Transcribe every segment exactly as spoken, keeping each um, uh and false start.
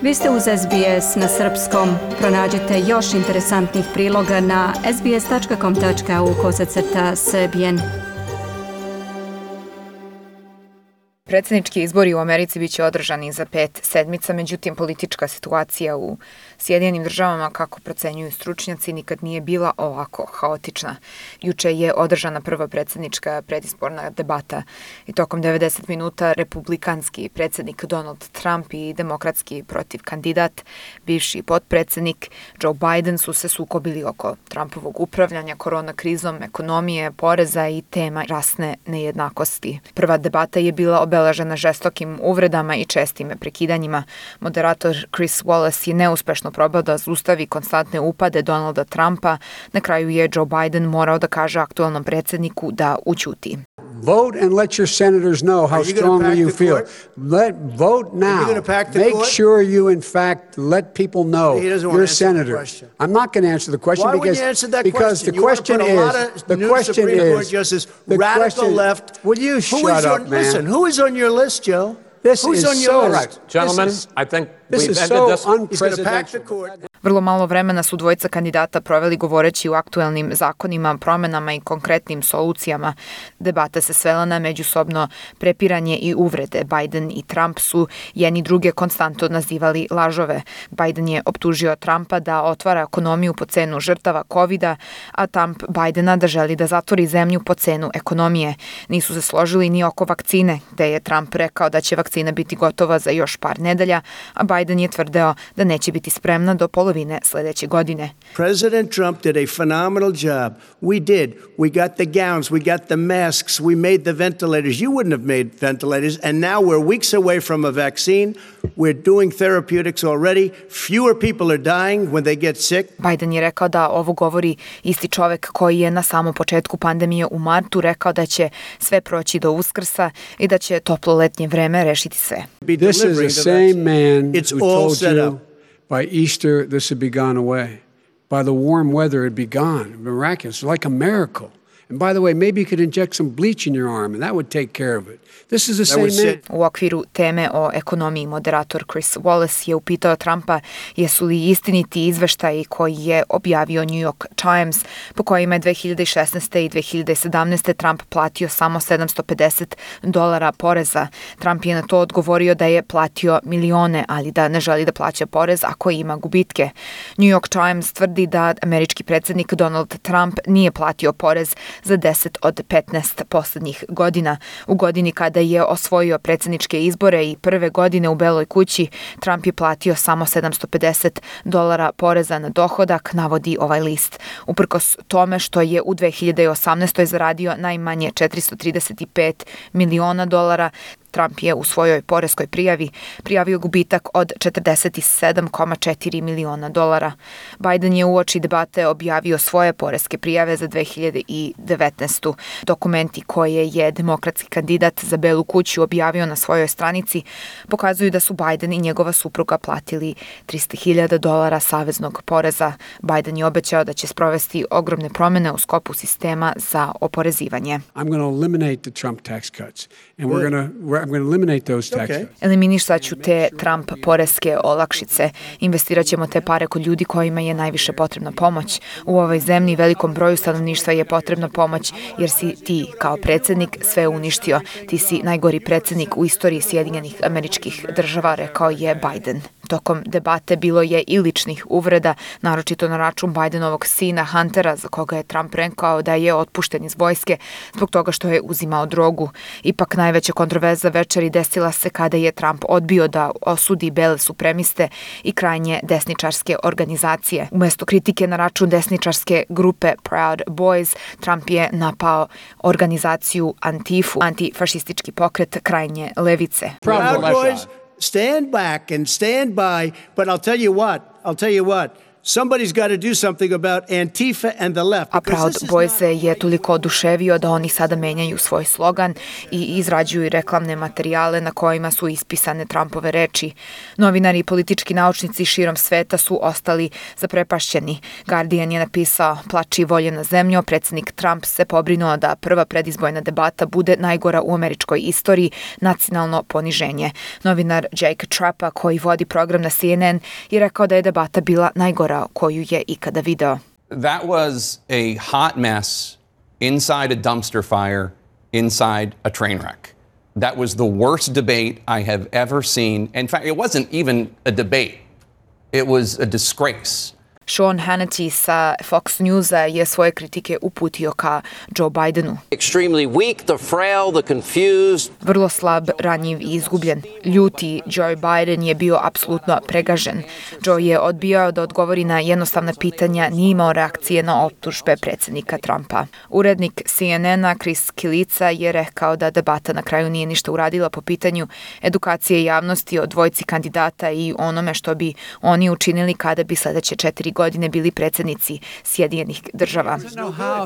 Vi ste uz S B S na srpskom. Pronađite još interesantnih priloga na sbs.com tačka au kosacrta srbijen. Predsjednički izbori u Americi biće održani za pet sedmica, međutim politička situacija u Sjedinjenim državama, kako procenjuju stručnjaci, nikad nije bila ovako haotična. Juče je održana prva predsjednička predizborna debata i tokom devedeset minuta republikanski predsjednik Donald Trump i demokratski protiv kandidat, bivši potpredsjednik Joe Biden su se sukobili oko Trumpovog upravljanja korona krizom, ekonomije, poreza i tema rasne nejednakosti. Prva debata je bila obeležena žestokim uvredama i čestim prekidanjima. Moderator Chris Wallace je neuspešno probao da zaustavi konstantne upade Donalda Trumpa. Na kraju je Joe Biden morao da kaže aktualnom predsjedniku da ućuti. Vote and let your senators know how strongly you feel. Let vote now. Make sure you, in fact, let people know you're a senator. I'm not going to answer the question Why because you answer that because question? the question is the question is the radical left. Will you shut up, on, man? Listen, who is on your list, Joe? This Who's is on your so list? right. Gentlemen, This is, I think this we've is ended so this. unprecedented. Vrlo malo vremena su dvojica kandidata proveli govoreći o aktuelnim zakonima, promenama i konkretnim solucijama. Debata se svela na međusobno prepiranje i uvrede. Biden i Trump su jedni druge konstantno nazivali lažove. Biden je optužio Trumpa da otvara ekonomiju po cenu žrtava kovida, a Trump Bidena da želi da zatvori zemlju po cenu ekonomije. Nisu se složili ni oko vakcine, gde je Trump rekao da će vakcina biti gotova za još par nedelja, a Biden je tvrdeo da neće biti spremna do polovine sljedeće godine. President Trump did a phenomenal job. We did. We got the gowns, we got the masks, we made the ventilators. You wouldn't have made ventilators, and now we're weeks away from a vaccine. We're doing therapeutics already. Fewer people are dying when they get sick. Biden je rekao da ovo govori isti čovek koji je na samom početku pandemije u martu rekao da će sve proći do Uskrsa i da će toplo letnje vreme rešiti sve. This is the same man who told you by Easter this would be gone away. By the warm weather it'd be gone. Miraculous, like a miracle. And by the way, maybe you could inject some bleach in your arm and that would take care of it. This is the same man. U okviru teme o ekonomiji moderator Chris Wallace je upitao Trumpa jesu li istiniti izveštaji koji je objavio New York Times, po kojima je dve hiljade šesnaeste. i dve hiljade sedamnaeste. Trump platio samo sedamsto pedeset dolara poreza. Trump je na to odgovorio da je platio milione, ali da ne želi da plaća porez ako ima gubitke. New York Times tvrdi da američki predsjednik Donald Trump nije platio porez za deset od petnaest poslednjih godina. U godini kada je osvojio predsjedničke izbore i prve godine u Beloj kući, Trump je platio samo sedamsto pedeset dolara poreza na dohodak, navodi ovaj list. Uprkos tome što je u dve hiljade osamnaestoj. zaradio najmanje četiristo trideset pet miliona dolara, Trump je u svojoj poreskoj prijavi prijavio gubitak od četrdeset sedam zarez četiri miliona dolara. Biden je uoči debate objavio svoje poreske prijave za dve hiljade devetnaestu. Dokumenti koje je demokratski kandidat za Belu kuću objavio na svojoj stranici pokazuju da su Biden i njegova supruga platili trista hiljada dolara saveznog poreza. Biden je obećao da će sprovesti ogromne promene u sklopu sistema za oporezivanje. I'm going to eliminate the Trump tax cuts and we're going to I'm going to eliminate those tax cuts. Eliminišat ću te Trump poreske olakšice. Investirat ćemo te pare kod ljudi kojima je najviše potrebna pomoć. U ovoj zemlji velikom broju stanovništva je potrebna pomoć jer si ti kao predsjednik sve uništio. Ti si najgori predsjednik u istoriji Sjedinjenih Američkih Država, rekao je Biden. Tokom debate bilo je i ličnih uvreda, naročito na račun Bidenovog sina Huntera, za koga je Trump rekao da je otpušten iz vojske zbog toga što je uzimao drogu. Ipak najveća kontroverza večeri desila se kada je Trump odbio da osudi bele supremiste i krajnje desničarske organizacije. Umesto kritike na račun desničarske grupe Proud Boys, Trump je napao organizaciju Antifu, antifašistički pokret krajnje levice. Proud Boys, stand back and stand by, but I'll tell you what, I'll tell you what, Somebody's got to do something about Antifa and the left. A Proud Boys je toliko oduševio da oni sada menjaju svoj slogan i izrađuju reklamne materijale na kojima su ispisane Trumpove reči. Novinari i politički naučnici širom sveta su ostali zaprepašćeni. Guardian je napisao: plači volje na zemlju, predsjednik Trump se pobrinuo da prva predizbojna debata bude najgora u američkoj istoriji, nacionalno poniženje. Novinar Jake Trappa, koji vodi program na C N N, je rekao da je debata bila najgora koju je ikada video. That was a hot mess inside a dumpster fire, inside a train wreck. That was the worst debate I have ever seen. In fact, it wasn't even a debate. It was a disgrace. Sean Hannity sa Fox Newsa je svoje kritike uputio ka Joe Bidenu. Extremely weak, the frail, the confused. Vrlo slab, ranjiv i izgubljen. Ljuti Joe Biden je bio apsolutno pregažen. Joe je odbijao da odgovori na jednostavna pitanja, nije imao reakcije na optužbe predsjednika Trumpa. Urednik C N N-a Chris Kilica je rekao da debata na kraju nije ništa uradila po pitanju edukacije javnosti o dvojci kandidata i onome što bi oni učinili kada bi sledeće četiri godine bili predsjednici Sjedinjenih država.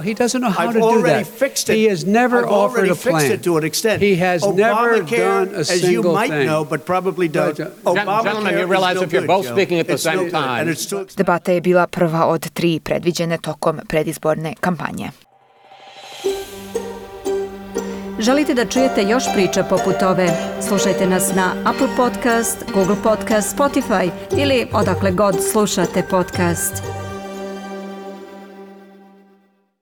He doesn't know how to do that. He has never offered a plan. He has never done a single thing. Gentlemen, you realize if you're both speaking at the same time. Debata je bila prva od tri predviđene tokom predizborne kampanje. Želite da čujete još priča poput ove? Slušajte nas na Apple Podcast, Google Podcast, Spotify ili odakle god slušate podcast.